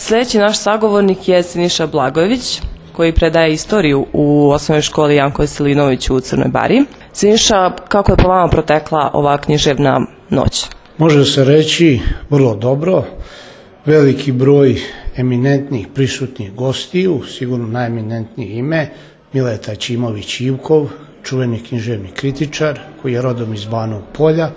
Sljedeći naš sagovornik je Siniša Blagojević, koji predaje istoriju u osnovnoj školi Janko Veselinović u Crnoj Bari. Siniša, kako je po vama protekla ova književna noć? Može se reći vrlo dobro. Veliki broj eminentnih prisutnih gostiju, sigurno najeminentnije ime, Mileta Ćimović-Ivkov, čuveni književni kritičar koji je rodom iz Banovog Polja,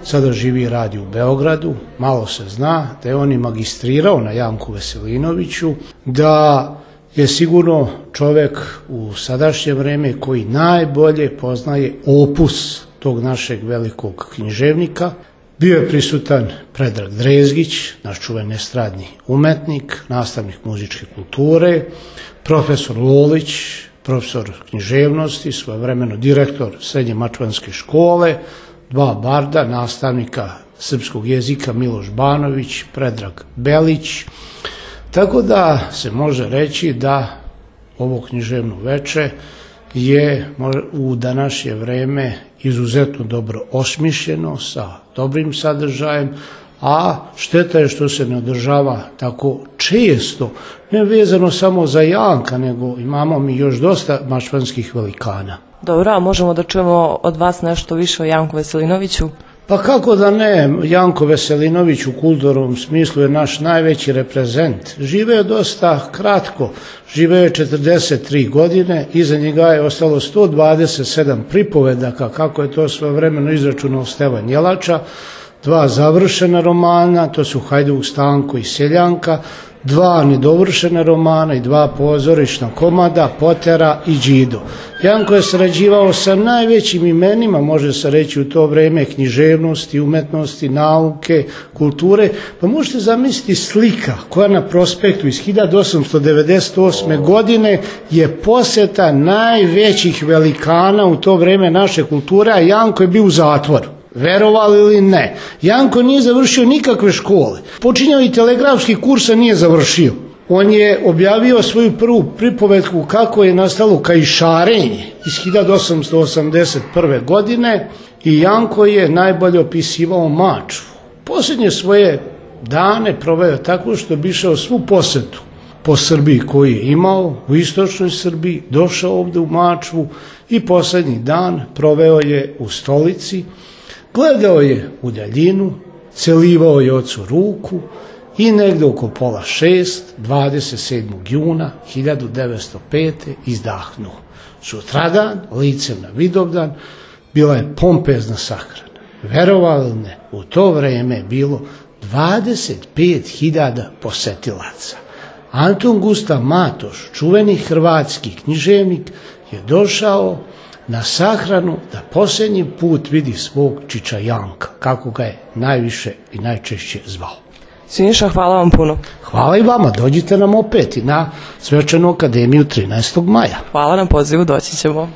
sada živi i radi u Beogradu. Malo se zna da je on i magistrirao na Janku Veselinoviću, da je sigurno čovjek u sadašnje vreme koji najbolje poznaje opus tog našeg velikog književnika. Bio je prisutan Predrag Drezgić, naš čuveni estradni umetnik, nastavnik muzičke kulture, profesor Lolić, profesor književnosti, svojevremeno direktor Srednje mačvanske škole, dva barda, nastavnika srpskog jezika Miloš Banović, Predrag Belić. Tako da se može reći da ovo književno veče je u današnje vreme izuzetno dobro osmišljeno, sa dobrim sadržajem, a šteta je što se ne održava tako često, ne vezano samo za Janka, nego imamo mi još dosta mačvanskih velikana. Dobro, a možemo da čujemo od vas nešto više o Janku Veselinoviću? Pa kako da ne, Janko Veselinović u kulturnom smislu je naš najveći reprezent. Živeo je dosta kratko, živeo je 43 godine, iza njega je ostalo 127 pripovedaka, kako je to svojevremeno izračunao Stevan Jelača, 2 završena romana, to su Hajduk Stanko i Seljanka, 2 nedovršena romana i 2 pozorišna komada, Potera i Đido. Janko je sarađivao sa najvećim imenima, može se reći u to vreme, književnosti, umetnosti, nauke, kulture. Pa možete zamisliti slika koja na prospektu iz 1898. godine je posjeta najvećih velikana u to vreme naše kulture, a Janko je bio u zatvoru. Verovali ili ne, Janko nije završio nikakve škole. Počinjao i telegrafski kurs, a nije završio. On je objavio svoju prvu pripovetku kako je nastalo kajšarenje iz 1881. godine i Janko je najbolje opisivao Mačvu. Posljednje svoje dane proveo tako što bi išao svu posetu po Srbiji koju je imao, u istočnoj Srbiji, došao ovdje u Mačvu i posljednji dan proveo je u stolici. Gledao je u daljinu, celivao je ocu ruku i negdje oko 5:30, 27. juna 1905. izdahnuo. Sutradan, licem na Vidovdan, bila je pompezna sahrana. Verovali ili ne, u to vrijeme je bilo 25.000 posetilaca. Anton Gustav Matoš, čuveni hrvatski književnik, je došao na sahranu da posljednji put vidi svog čiča Janka, kako ga je najviše i najčešće zvao. Siniša, hvala vam puno. Hvala i vama, dođite nam opet i na Svečanu akademiju 13. maja. Hvala na pozivu, doći ćemo.